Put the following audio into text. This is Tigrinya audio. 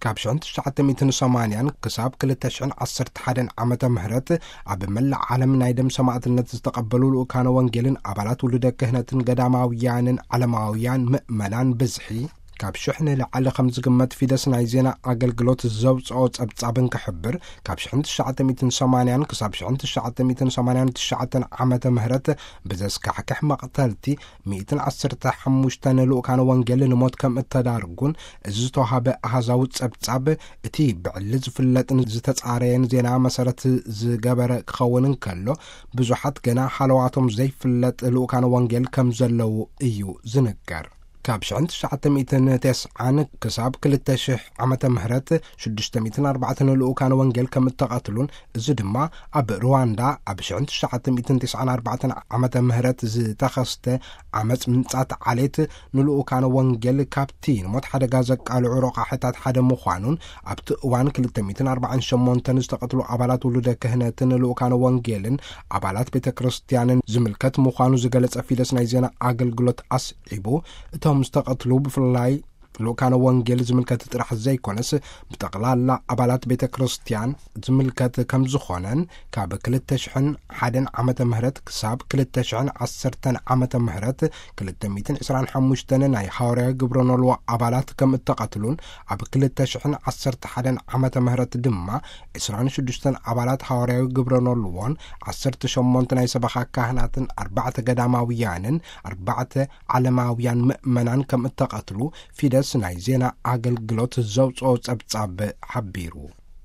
ካብ ሽሕን ትሽዓተ ሚእትን ሰማንያን ክሳብ ክልተ ሽሕን ዓሰርተ ሓደን ዓመተ ምህረት ኣብ መላእ ዓለም ናይ ደም ሰማዕትነት ዝተቐበሉ ልኡካነ ወንጌልን ኣባላት ውሉደ ክህነትን ገዳማውያንን ዓለማውያን ምእመናን ብዝሒ ካብ ሽሕ ንላዕሊ ከም ዝግመት ፊደስ ናይ ዜና ኣገልግሎት ዘውፅኦ ጸብጻብ እንክሕብር፣ ካብ ሽሕን ትሽዓተ ሚእትን ሰማንያን ክሳብ ሽሕን ትሽዓተ ሚእትን ሰማንያን ትሽዓተን ዓመተ ምህረት ብዘስካሕክሕ መቕተልቲ ሚእትን ዓሰርተ ሓሙሽተን ልኡካነ ወንጌል ንሞት ከም እተዳርጉን፣ እዚ ዝተዋሃበ ኣሃዛዊ ጸብጻብ እቲ ብዕሊ ዝፍለጥን ዝተጻረየን ዜና መሰረት ዝገበረ ክኸውን እንከሎ፣ ብዙሓት ገና ሃለዋቶም ዘይፍለጥ ልኡካነ ወንጌል ከም ዘለዉ እዩ ዝንገር። ካብ ሽሕን ትሽዓተ ሚእትን ተስዓን ክሳብ ክልተ ሽሕ ዓመተ ምህረት ሽዱሽተ ሚእትን ኣርባዕተን ልኡካነ ወንጌል ከም እተቐትሉን፣ እዚ ድማ ኣብ ሩዋንዳ ኣብ ሽሕን ትሽዓተ ሚእትን ተስዓን ኣርባዕተን ዓመተ ምህረት ዝተኸስተ ዓመጽ ምንጻት ዓሌት ንልኡካነ ወንጌል ካብቲ ንሞት ሓደጋ ዘቃልዑ ረቋሕታት ሓደ ምዃኑን፣ ኣብቲ እዋን ክልተ ሚእትን ኣርባዓን ሸሞንተን ዝተቐትሉ ኣባላት ውሉደ ክህነትን ልኡካነ ወንጌልን ኣባላት ቤተ ክርስቲያንን ዝምልከት ምዃኑ ዝገለጸ ፊደስ ናይ ዜና ኣገልግሎት ኣስዒቡ፣ እቶም ዝተቐትሉ ብፍላይ ልኡካነ ወንጌል ዝምልከት ጥራሕ ዘይኮነስ፣ ብጠቕላላ ኣባላት ቤተ ክርስቲያን ዝምልከት ከም ዝኾነን፣ ካብ ክልተ ሽሕን ሓደን ዓመተ ምህረት ክሳብ ክልተ ሽሕን ዓሰርተን ዓመተ ምህረት ክልተ ሚእትን ዕስራን ሓሙሽተን ናይ ሃዋርያዊ ግብረ ኖልዎ ኣባላት ከም እተቐትሉን፣ ኣብ ክልተ ሽሕን ዓሰርተ ሓደን ዓመተ ምህረት ድማ ዕስራን ሽዱሽተን ኣባላት ሃዋርያዊ ግብረ ኖልዎን ዓሰርተ ሸሞንተ ናይ ሰበኻ ካህናትን ኣርባዕተ ገዳማውያንን ኣርባዕተ ዓለማውያን ምእመናን ከም እተቐትሉ ፊደስ ናይ ዜና ኣገልግሎት ዘውፅኦ ጸብጻብ ሓቢሩ።